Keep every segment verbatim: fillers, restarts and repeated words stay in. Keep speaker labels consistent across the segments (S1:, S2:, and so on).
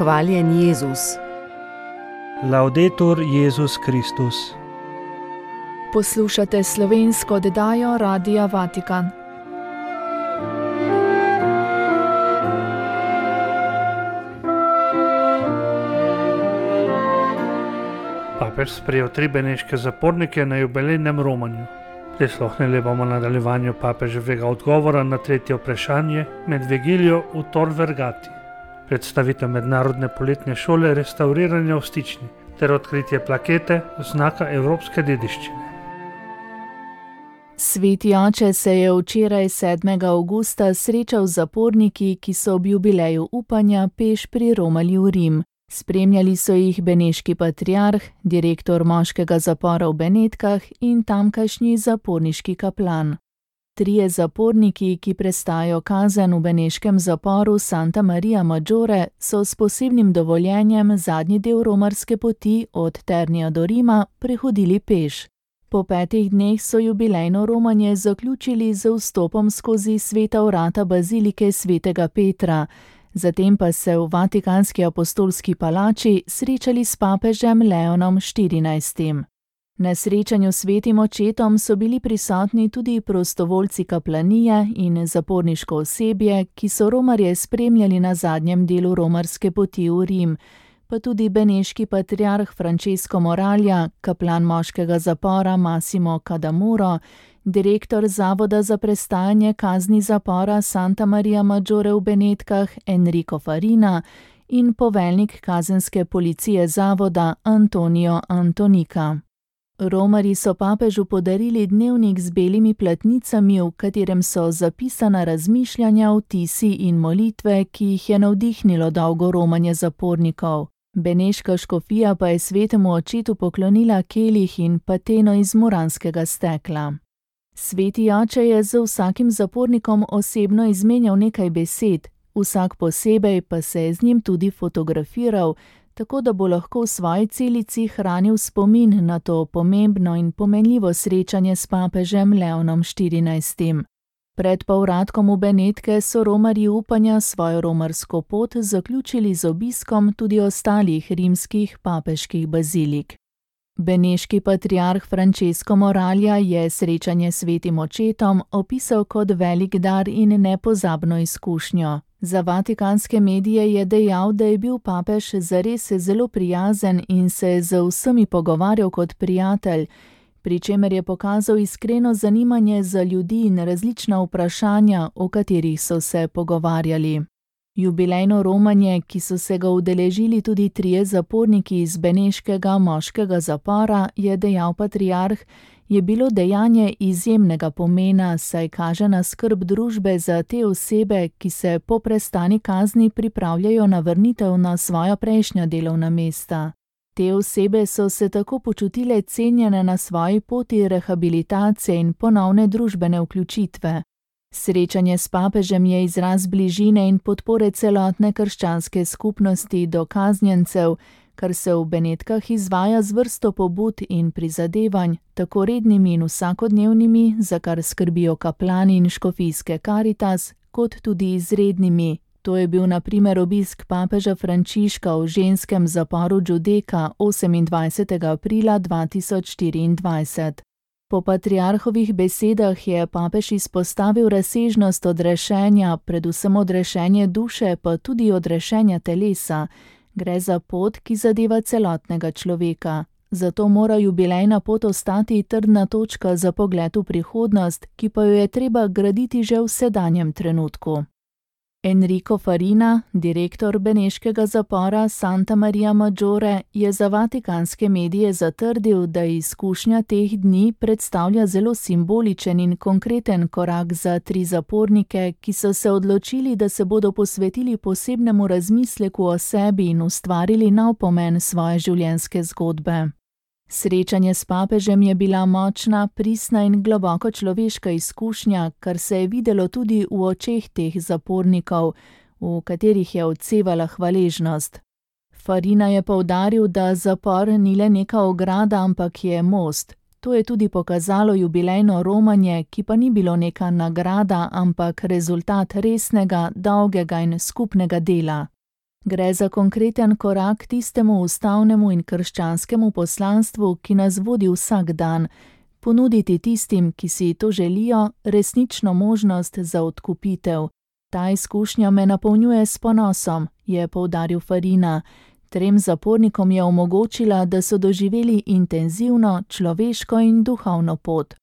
S1: Hvaljen Jezus.
S2: Laudetur Jezus Kristus.
S3: Poslušate slovensko oddajo Radia Vatikan.
S2: Papež sprejel tri beneške zapornike na jubilejnem romanju. Prisluhnili bomo nadaljevanju papeževega odgovora na tretje vprašanje med vigilijo v Tor Vergati, predstavitev mednarodne poletne šole restavriranja v Stični ter odkritje plakete znaka evropske dediščine.
S3: Sveti oče se je včeraj sedmega avgusta srečal z zaporniki, ki so ob jubileju upanja peš priromali v Rim. Spremljali so jih beneški patriarh, direktor moškega zapora v Benetkah in tamkajšnji zaporniški kaplan. Trije zaporniki, ki prestajajo kazen v beneškem zaporu Santa Maria Maggiore, so s posebnim dovoljenjem zadnji del romarske poti od Ternija do Rima prehodili peš. Po petih dneh so jubilejno romanje zaključili z vstopom skozi sveta vrata bazilike svetega Petra, zatem pa se v Vatikanski apostolski palači srečali s papežem Leonom štirinajstim. Na srečanju s svetim očetom so bili prisotni tudi prostovoljci kaplanije in zaporniško osebje, ki so romarje spremljali na zadnjem delu romarske poti v Rim, pa tudi beneški patriarh Francesco Moralja, kaplan moškega zapora Massimo Cadamuro, direktor Zavoda za prestajanje kazni zapora Santa Maria Maggiore v Benetkah Enrico Farina in poveljnik kazenske policije zavoda Antonio Antonica. Romarji so papežu podarili dnevnik z belimi platnicami, v katerem so zapisana razmišljanja, vtisi in molitve, ki jih je navdihnilo dolgo romanje zapornikov. Beneška škofija pa je svetemu očetu poklonila kelih in pateno iz muranskega stekla. Sveti oče je z vsakim zapornikom osebno izmenjal nekaj besed, vsak posebej pa se je z njim tudi fotografiral, tako da bo lahko v svoji celici hranil spomin na to pomembno in pomenljivo srečanje s papežem Leonom štirinajstim. Pred povratkom v Benetke so romarji upanja svojo romarsko pot zaključili z obiskom tudi ostalih rimskih papeških bazilik. Beneški patriarh Francesco Moralja je srečanje s svetim očetom opisal kot velik dar in nepozabno izkušnjo. Za vatikanske medije je dejal, da je bil papež zares zelo prijazen in se je z vsemi pogovarjal kot prijatelj, pri čemer je pokazal iskreno zanimanje za ljudi in različna vprašanja, o katerih so se pogovarjali. Jubilejno romanje, ki so se ga udeležili tudi trije zaporniki iz beneškega moškega zapora, je dejal patriarh, je bilo dejanje izjemnega pomena, saj kaže na skrb družbe za te osebe, ki se po prestani kazni pripravljajo na vrnitev na svoja prejšnja delovna mesta. Te osebe so se tako počutile cenjene na svoji poti rehabilitacije in ponovne družbene vključitve. Srečanje s papežem je izraz bližine in podpore celotne krščanske skupnosti do kaznjencev, kar se v Benetkah izvaja z vrsto pobud in prizadevanj, tako rednimi in vsakodnevnimi, za kar skrbijo kaplani in škofijske Karitas, kot tudi izrednimi. To je bil na primer obisk papeža Frančiška v ženskem zaporu Giudecca osemindvajsetega aprila dva tisoč štiriindvajset. Po patriarhovih besedah je papež izpostavil razsežnost odrešenja, predvsem odrešenje duše, pa tudi odrešenja telesa. Gre za pot, ki zadeva celotnega človeka. Zato mora jubilejna pot ostati trdna točka za pogled v prihodnost, ki pa jo je treba graditi že v sedanjem trenutku. Enrico Farina, direktor beneškega zapora Santa Maria Maggiore, je za vatikanske medije zatrdil, da izkušnja teh dni predstavlja zelo simboličen in konkreten korak za tri zapornike, ki so se odločili, da se bodo posvetili posebnemu razmisleku o sebi in ustvarili nov pomen svoje življenjske zgodbe. Srečanje s papežem je bila močna, pristna in globoko človeška izkušnja, kar se je videlo tudi v očeh teh zapornikov, v katerih je odsevala hvaležnost. Farina je poudaril, da zapor ni le neka ograda, ampak je most. To je tudi pokazalo jubilejno romanje, ki pa ni bilo neka nagrada, ampak rezultat resnega, dolgega in skupnega dela. Gre za konkreten korak tistemu ustavnemu in krščanskemu poslanstvu, ki nas vodi vsak dan, ponuditi tistim, ki si to želijo, resnično možnost za odkupitev. Ta izkušnja me napolnjuje s ponosom, je poudaril Farina. Trem zapornikom je omogočila, da so doživeli intenzivno, človeško in duhovno pot.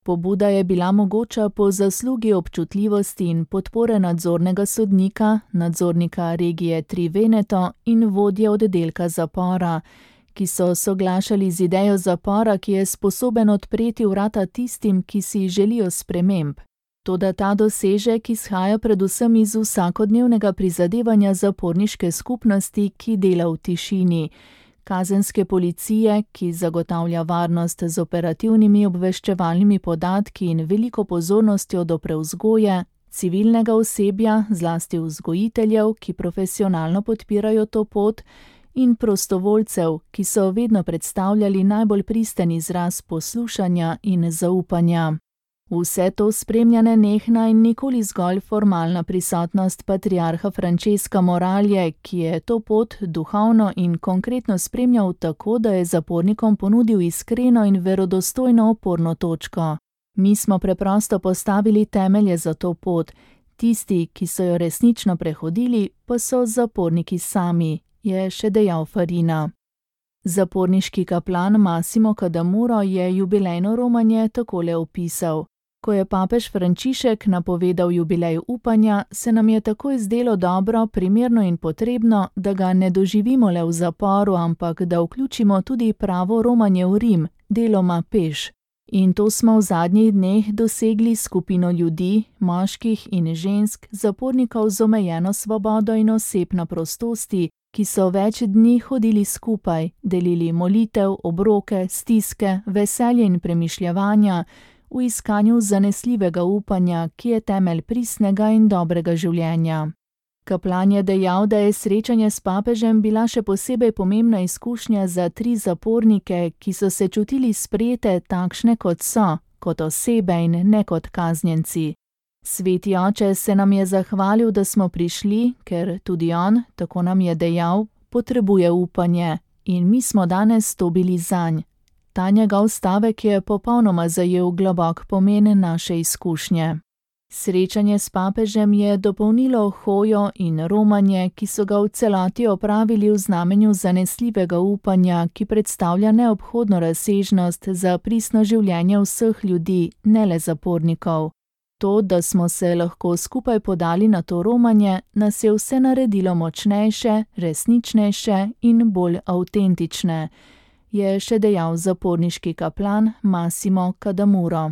S3: Pobuda je bila mogoča po zaslugi občutljivosti in podpore nadzornega sodnika, nadzornika regije Tri Veneto in vodje oddelka zapora, ki so soglašali z idejo zapora, ki je sposoben odpreti vrata tistim, ki si želijo sprememb. Toda ta dosežek izhaja predvsem iz vsakodnevnega prizadevanja zaporniške skupnosti, ki dela v tišini, kazenske policije, ki zagotavlja varnost z operativnimi obveščevalnimi podatki in veliko pozornostjo do prevzgoje, civilnega osebja, zlasti vzgojiteljev, ki profesionalno podpirajo to pot, in prostovoljcev, ki so vedno predstavljali najbolj pristen izraz poslušanja in zaupanja. Vse to spremlja nenehna in nikoli zgolj formalna prisotnost patriarha Francesca Moralje, ki je to pot duhovno in konkretno spremljal tako, da je zapornikom ponudil iskreno in verodostojno oporno točko. Mi smo preprosto postavili temelje za to pot, tisti, ki so jo resnično prehodili, pa so zaporniki sami, je še dejal Farina. Zaporniški kaplan Massimo Cadamuro je jubilejno romanje takole opisal. Ko je papež Frančišek napovedal jubilej upanja, se nam je takoj zdelo dobro, primerno in potrebno, da ga ne doživimo le v zaporu, ampak da vključimo tudi pravo romanje v Rim, deloma peš. In to smo v zadnjih dneh dosegli skupino ljudi, moških in žensk, zapornikov z omejeno svobodo in osebno prostosti, ki so več dni hodili skupaj, delili molitev, obroke, stiske, veselje in premišljevanja, v iskanju zanesljivega upanja, ki je temelj pristnega in dobrega življenja. Kaplan je dejal, da je srečanje s papežem bila še posebej pomembna izkušnja za tri zapornike, ki so se čutili sprejete takšne kot so, kot osebe in ne kot kaznjenci. Sveti oče se nam je zahvalil, da smo prišli, ker tudi on, tako nam je dejal, potrebuje upanje in mi smo danes to bili zanj. Ta njegov stavek je popolnoma zajel globok pomen naše izkušnje. Srečanje s papežem je dopolnilo hojo in romanje, ki so ga v celoti opravili v znamenju zanesljivega upanja, ki predstavlja neobhodno razsežnost za pristno življenje vseh ljudi, ne le zapornikov. To, da smo se lahko skupaj podali na to romanje, nas je vse naredilo močnejše, resničnejše in bolj avtentične, je še dejal zaporniški kaplan Massimo Cadamuro.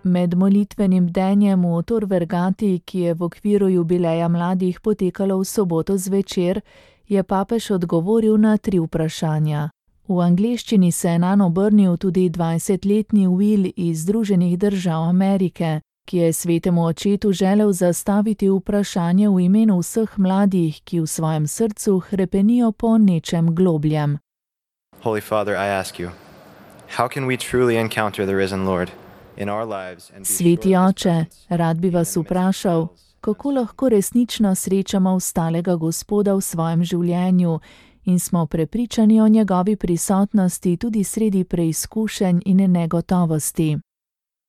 S3: Med molitvenim bdenjem v Tor Vergati, ki je v okviru jubileja mladih potekalo v soboto zvečer, je papež odgovoril na tri vprašanja. V angleščini se je nanj obrnil tudi dvajsetletni Will iz Združenih držav Amerike, ki je svetemu očetu želel zastaviti vprašanje v imenu vseh mladih, ki v svojem srcu hrepenijo po nečem globljem.
S1: Holy Father, I ask you, how can we truly encounter the risen Lord in our lives and be
S3: Sveti oče, rad bi vas vprašal, kako lahko resnično srečamo vstalega Gospoda v svojem življenju in smo prepričani o njegovi prisotnosti tudi sredi preizkušenj in negotovosti.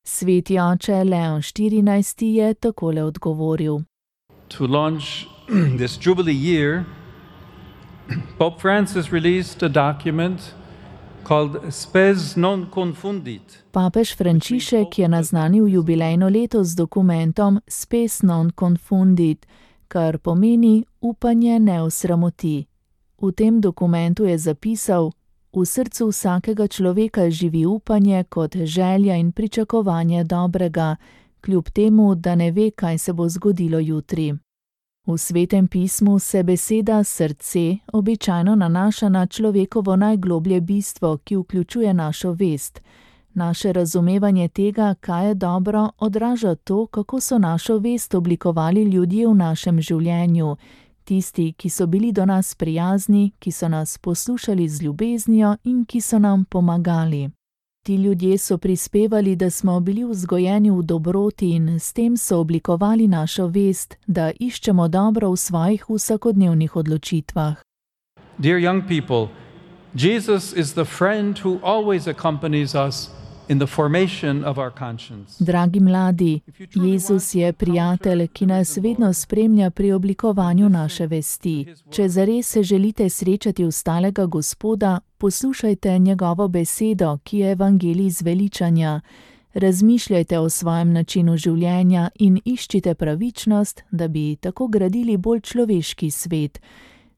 S3: Sveti oče Leon štirinajsti je takole odgovoril.
S4: To launch this Jubilee year, Pope Francis released a document called Spes non confundit.
S3: Papež Frančišek je naznanil jubilejno leto z dokumentom Spes non confundit, kar pomeni upanje ne osramoti. V tem dokumentu je zapisal: v srcu vsakega človeka živi upanje kot želja in pričakovanje dobrega, kljub temu, da ne ve, kaj se bo zgodilo jutri. V Svetem pismu se beseda srce običajno nanaša na človekovo najgloblje bistvo, ki vključuje našo vest. Naše razumevanje tega, kaj je dobro, odraža to, kako so našo vest oblikovali ljudje v našem življenju, tisti, ki so bili do nas prijazni, ki so nas poslušali z ljubeznijo in ki so nam pomagali. Ti ljudje so prispevali, da smo bili vzgojeni v dobroti in s tem so oblikovali našo vest, da iščemo dobro v svojih vsakodnevnih odločitvah.
S4: Dear young people, Jesus is the friend who always accompanies us in the formation of our conscience.
S3: Dragi mladi, Jezus je prijatelj, ki nas vedno spremlja pri oblikovanju naše vesti. Če zares se želite srečati ustalega Gospoda, poslušajte njegovo besedo, ki je evangelij zveličanja. Razmišljajte o svojem načinu življenja in iščite pravičnost, da bi tako gradili bolj človeški svet.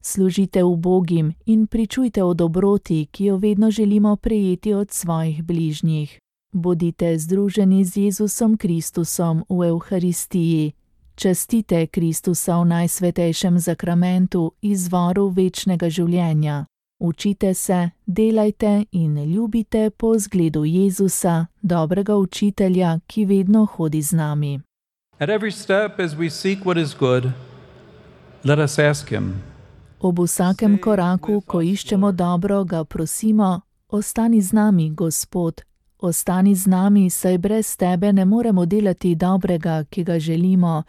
S3: Služite ubogim in pričujte o dobroti, ki jo vedno želimo prejeti od svojih bližnjih. Bodite združeni z Jezusom Kristusom v Evharistiji. Častite Kristusa v najsvetejšem zakramentu, izvoru večnega življenja. Učite se, delajte in ljubite po zgledu Jezusa, dobrega učitelja, ki vedno hodi z nami.
S4: At every step as we seek what is good, let us ask him.
S3: Ob vsakem koraku, ko iščemo dobro, ga prosimo, ostani z nami, Gospod. Ostani z nami, saj brez tebe ne moremo delati dobrega, ki ga želimo.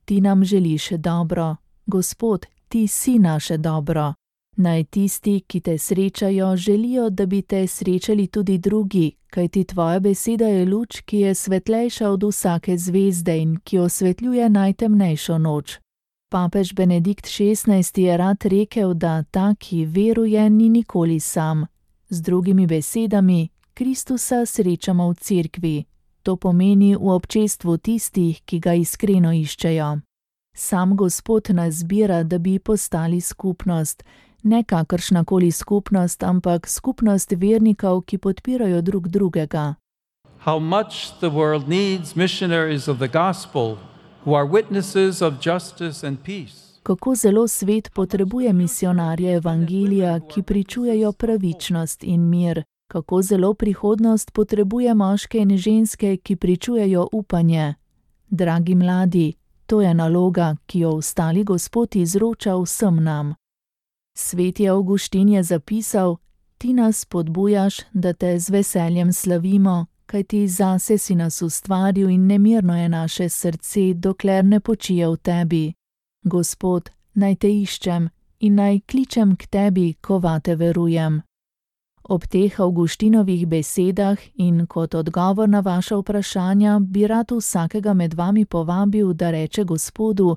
S3: Ti nam želiš dobro. Gospod, ti si naše dobro. Naj tisti, ki te srečajo, želijo, da bi te srečali tudi drugi, kajti tvoja beseda je luč, ki je svetlejša od vsake zvezde in ki osvetljuje najtemnejšo noč. Papež Benedikt šestnajsti je rad rekel, da ta, ki veruje, ni nikoli sam. Z drugimi besedami, Kristusa srečamo v cerkvi. To pomeni v občestvu tistih, ki ga iskreno iščejo. Sam Gospod nas zbira, da bi postali skupnost. Ne kakršnakoli skupnost, ampak skupnost vernikov, ki podpirajo drug drugega.
S4: How much the world needs missionaries of the gospel who are witnesses of justice and peace.
S3: Kako zelo svet potrebuje misionarje evangelija, ki pričujejo pravičnost in mir. Kako zelo prihodnost potrebuje moške in ženske, ki pričujejo upanje. Dragi mladi, to je naloga, ki jo ostali Gospod izroča vsem nam. Sveti Avguštin je zapisal: Ti nas spodbujaš, da te z veseljem slavimo, kajti zase si nas ustvaril in nemirno je naše srce, dokler ne počije v tebi. Gospod, naj te iščem in naj kličem k tebi, ko vate verujem. Ob teh Avguštinovih besedah in kot odgovor na vaša vprašanja bi rad vsakega med vami povabil, da reče Gospodu: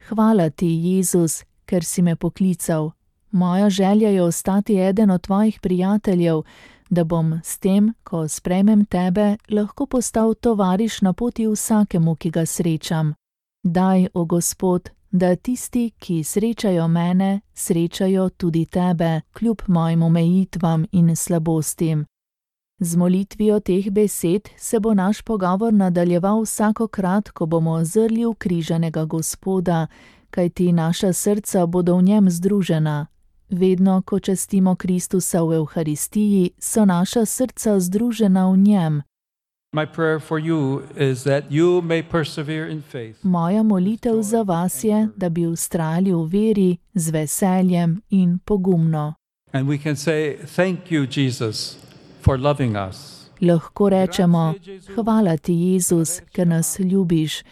S3: Hvala ti, Jezus, ker si me poklical. Moja želja je ostati eden od tvojih prijateljev, da bom s tem, ko sprejmem tebe, lahko postal tovariš na poti vsakemu, ki ga srečam. Daj, o Gospod, da tisti, ki srečajo mene, srečajo tudi tebe, kljub mojim omejitvam in slabostim. Z molitvijo teh besed se bo naš pogovor nadaljeval vsakokrat, ko bomo zrli v križanega Gospoda, kajti naša srca bodo v njem združena. Vedno, ko častimo Kristusa v Evharistiji, so naša srca združena v njem.
S4: My prayer for you is that you may persevere in faith.
S3: Moja molitev za vas je, da bi vztrajali v veri z veseljem in pogumno.
S4: And we can say, thank you, Jesus, for loving us.
S3: Lahko rečemo: Hvala ti, Jezus, ker nas ljubiš.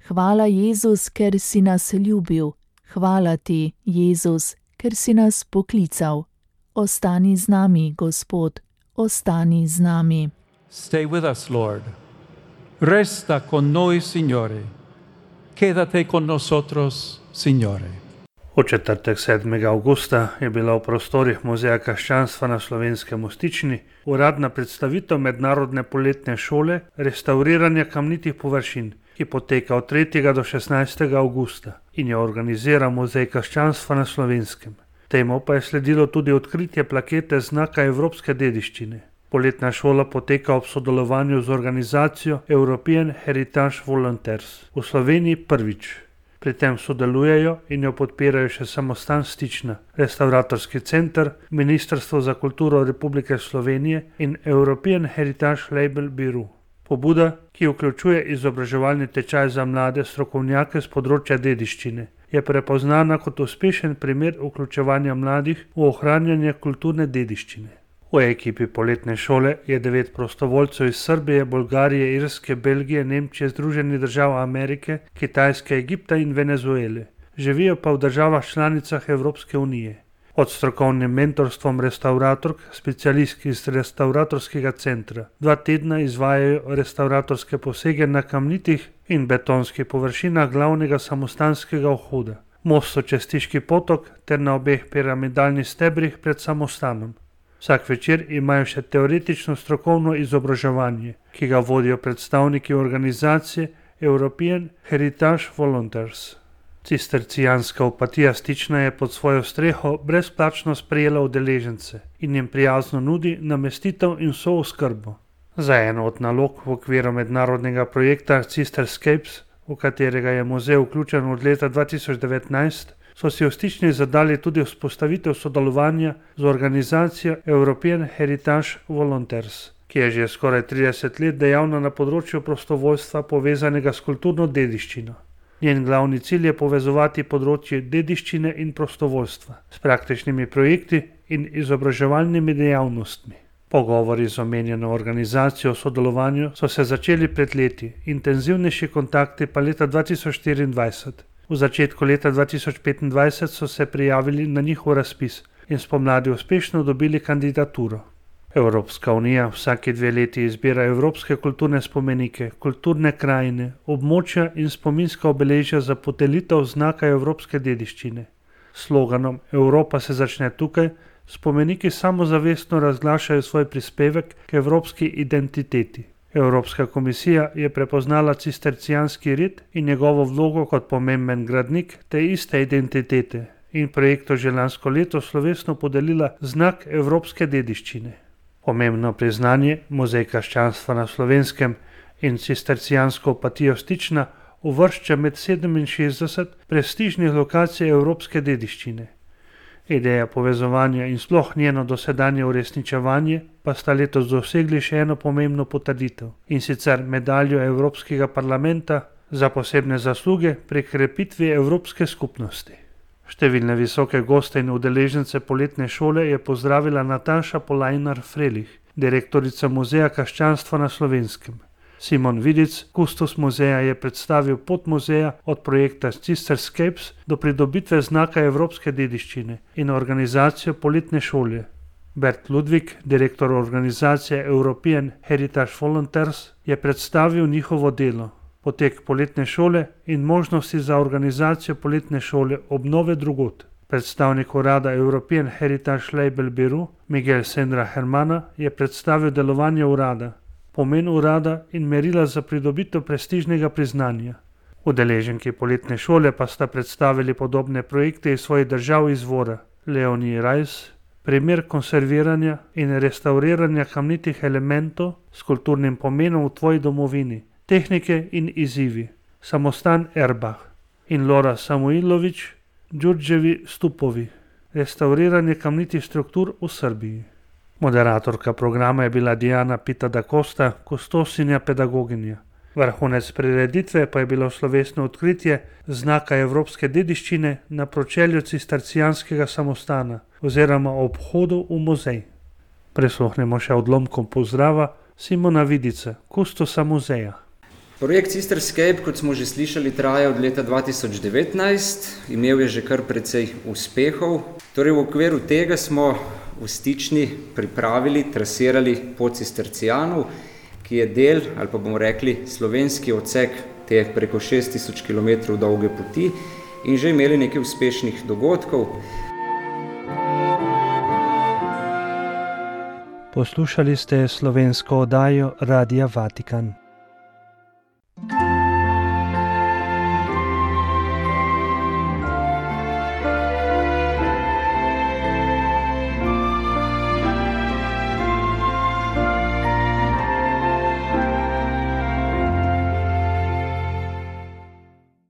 S3: Hvala, Jezus, ker si nas ljubil. Hvala ti, Jezus, ker si nas poklical. Ostani z nami, Gospod, ostani z nami.
S4: Stay with us, Lord. Resta con noi, Signore. Quédate con nosotros, Signore.
S2: V četrtek sedmega avgusta je bila v prostorih Muzeja krščanstva na Slovenskem v Stični uradna predstavitev mednarodne poletne šole restavriranja kamnitih površin, ki poteka od tretjega do šestnajstega avgusta in jo organizira Muzej krščanstva na Slovenskem. Temu pa je sledilo tudi odkritje plakete znaka evropske dediščine. Poletna šola poteka ob sodelovanju z organizacijo European Heritage Volunteers v Sloveniji prvič. Pri tem sodelujejo in jo podpirajo še Samostan Stična, Restavratorski center, Ministrstvo za kulturo Republike Slovenije in European Heritage Label Bureau. Pobuda, ki vključuje izobraževalni tečaj za mlade strokovnjake z področja dediščine, je prepoznana kot uspešen primer vključevanja mladih v ohranjanje kulturne dediščine. V ekipi poletne šole je devet prostovoljcev iz Srbije, Bolgarije, Irske, Belgije, Nemčije, Združenih držav Amerike, Kitajske, Egipta in Venezuele. Živijo pa v državah članicah Evropske unije. Pod strokovnim mentorstvom restavratork, specialistk iz restavratorskega centra, dva tedna izvajajo restavratorske posege na kamnitih in betonskih površinah glavnega samostanskega vhoda, mostu čez Stiški potok ter na obeh piramidalnih stebrih pred samostanom. Vsak večer imajo še teoretično strokovno izobraževanje, ki ga vodijo predstavniki organizacije European Heritage Volunteers. Cistercijanska opatija Stična je pod svojo streho brezplačno sprejela udeležence in jim prijazno nudi namestitev in sooskrbo. Za eno od nalog v okviru mednarodnega projekta Cisterscapes, v katerega je muzej vključen od leta dva tisoč devetnajst, so si v Stični zadali tudi vzpostavitev sodelovanja z organizacijo European Heritage Volunteers, ki je že skoraj trideset let dejavna na področju prostovoljstva povezanega s kulturno dediščino. Njen glavni cilj je povezovati področje dediščine in prostovoljstva s praktičnimi projekti in izobraževalnimi dejavnostmi. Pogovori z omenjeno organizacijo o sodelovanju so se začeli pred leti, intenzivnejši kontakti pa leta dva tisoč štiriindvajset. V začetku leta dva tisoč petindvajset so se prijavili na njihov razpis in spomladi uspešno dobili kandidaturo. Evropska unija vsake dve leti izbira evropske kulturne spomenike, kulturne krajine, območja in spominska obeležja za podelitev znaka evropske dediščine. S sloganom Evropa se začne tukaj spomeniki samozavestno razglašajo svoj prispevek k evropski identiteti. Evropska komisija je prepoznala cistercijanski rit in njegovo vlogo kot pomemben gradnik te iste identitete in projektu že lansko leto slovesno podelila znak evropske dediščine. Pomembno priznanje Muzej krščanstva na Slovenskem in cistercijansko opatijo Stična uvršča med sedeminšestdeset prestižnih lokacij evropske dediščine. Ideja povezovanja in sploh njeno dosedanje uresničevanje pa sta letos dosegli še eno pomembno potrditev, in sicer medaljo Evropskega parlamenta za posebne zasluge pri krepitvi Evropske skupnosti. Številne visoke goste in udeležence poletne šole je pozdravila Nataša Polajnar-Frelih, direktorica Muzeja krščanstva na Slovenskem. Simon Vidic, kustos muzeja, je predstavil pot muzeja od projekta Cisterscapes do pridobitve znaka evropske dediščine in organizacijo poletne šole. Bert Ludvik, direktor organizacije European Heritage Volunteers, je predstavil njihovo delo, potek poletne šole in možnosti za organizacijo poletne šole obnove drugod. Predstavnik urada European Heritage Label Bureau Miguel Senra Hermana je predstavil delovanje urada, pomen urada in merila za pridobitev prestižnega priznanja. Udeleženki poletne šole pa sta predstavili podobne projekte iz svojih držav izvora. Leonie Reis, primer konserviranja in restauriranja kamnitih elementov s kulturnim pomenom v tvoji domovini, tehnike in izzivi, samostan Erbach, in Lora Samuilović, Đurđevi stupovi, restauriranje kamnitih struktur v Srbiji. Moderatorka programa je bila Diana Pita da Costa, kustosinja pedagoginja. Vrhunec prireditve pa je bilo slovesno odkritje znaka evropske dediščine na pročelju cistercijanskega samostana oziroma ob vhodu v muzej. Prisluhnemo še odlomkom pozdrava Simona Vidica, kustosa muzeja.
S5: Projekt Cisterscape, kot smo že slišali, traja od leta dva tisoč devetnajst, imel je že kar precej uspehov. Torej v okviru tega smo v Stični pripravili, trasirali pot Cistercijanov, ki je del, ali pa bomo rekli, slovenski odsek te preko šest tisoč kilometrov dolge poti in že imeli nekaj uspešnih dogodkov.
S6: Poslušali ste slovensko oddajo Radia Vatikan.